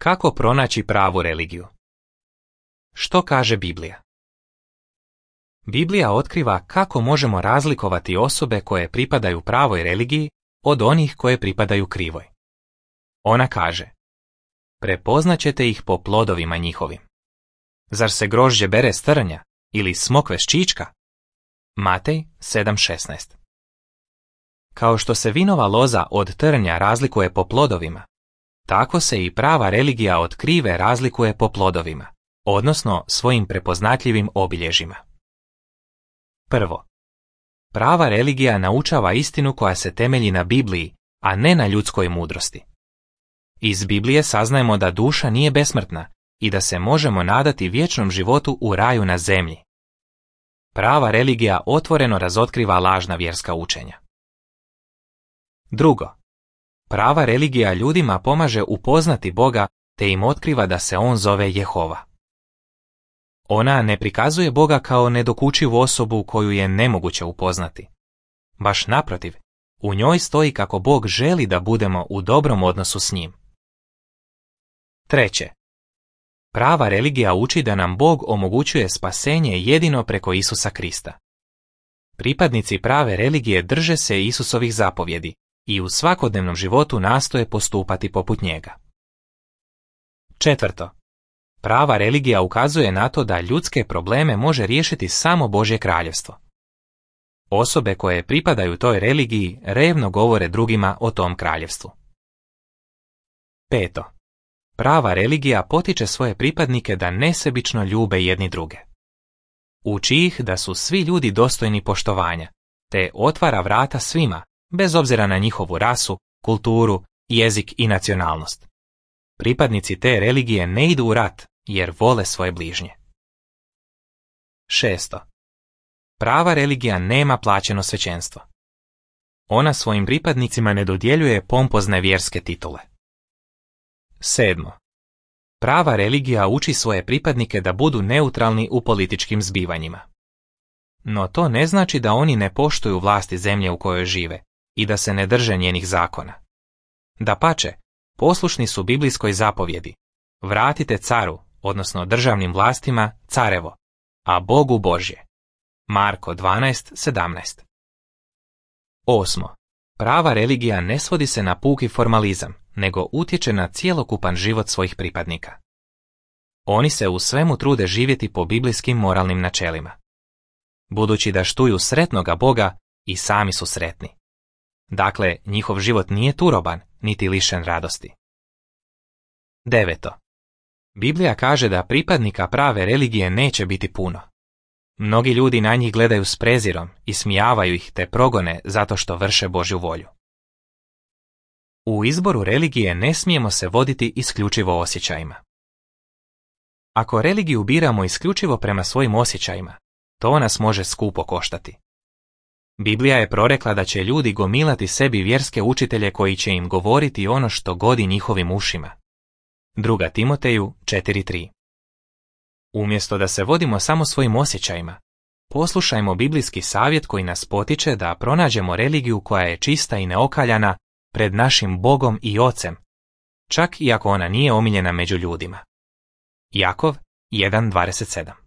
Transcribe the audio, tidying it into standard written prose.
Kako pronaći pravu religiju? Što kaže Biblija? Biblija otkriva kako možemo razlikovati osobe koje pripadaju pravoj religiji od onih koje pripadaju krivoj. Ona kaže: prepoznaćete ih po plodovima njihovim. Zar se grožđe bere s trnja ili smokve s čička? Matej 7:16. Kao što se vinova loza od trnja razlikuje po plodovima, tako se i prava religija od krive razlikuje po plodovima, odnosno svojim prepoznatljivim obilježjima. Prvo, prava religija naučava istinu koja se temelji na Bibliji, a ne na ljudskoj mudrosti. Iz Biblije saznajemo da duša nije besmrtna i da se možemo nadati vječnom životu u raju na zemlji. Prava religija otvoreno razotkriva lažna vjerska učenja. Drugo, prava religija ljudima pomaže upoznati Boga te im otkriva da se on zove Jehova. Ona ne prikazuje Boga kao nedokučivu osobu koju je nemoguće upoznati. Baš naprotiv, u njoj stoji kako Bog želi da budemo u dobrom odnosu s njim. Treće, prava religija uči da nam Bog omogućuje spasenje jedino preko Isusa Krista. Pripadnici prave religije drže se Isusovih zapovjedi i u svakodnevnom životu nastoje postupati poput njega. Četvrto, prava religija ukazuje na to da ljudske probleme može riješiti samo Božje kraljevstvo. Osobe koje pripadaju toj religiji revno govore drugima o tom kraljevstvu. Peto, prava religija potiče svoje pripadnike da nesebično ljube jedni druge. Uči ih da su svi ljudi dostojni poštovanja, te otvara vrata svima, bez obzira na njihovu rasu, kulturu, jezik i nacionalnost. Pripadnici te religije ne idu u rat jer vole svoje bližnje. Šesto, prava religija nema plaćeno svećenstvo. Ona svojim pripadnicima ne dodjeljuje pompozne vjerske titule. Sedmo, prava religija uči svoje pripadnike da budu neutralni u političkim zbivanjima. No to ne znači da oni ne poštuju vlasti zemlje u kojoj žive i da se ne drže njenih zakona. Dapače, poslušni su biblijskoj zapovjedi: vratite caru, odnosno državnim vlastima, carevo, a Bogu Božje. Marko 12:17. Osmo, prava religija ne svodi se na puki formalizam, nego utječe na cjelokupan život svojih pripadnika. Oni se u svemu trude živjeti po biblijskim moralnim načelima. Budući da štuju sretnoga Boga, i sami su sretni. Dakle, njihov život nije turoban, niti lišen radosti. Deveto, Biblija kaže da pripadnika prave religije neće biti puno. Mnogi ljudi na njih gledaju s prezirom, ismijavaju ih te progone zato što vrše Božju volju. U izboru religije ne smijemo se voditi isključivo osjećajima. Ako religiju biramo isključivo prema svojim osjećajima, to nas može skupo koštati. Biblija je prorekla da će ljudi gomilati sebi vjerske učitelje koji će im govoriti ono što godi njihovim ušima. 2. Timoteju 4:3. Umjesto da se vodimo samo svojim osjećajima, poslušajmo biblijski savjet koji nas potiče da pronađemo religiju koja je čista i neokaljana pred našim Bogom i Ocem, čak i ako ona nije omiljena među ljudima. Jakov 1:27.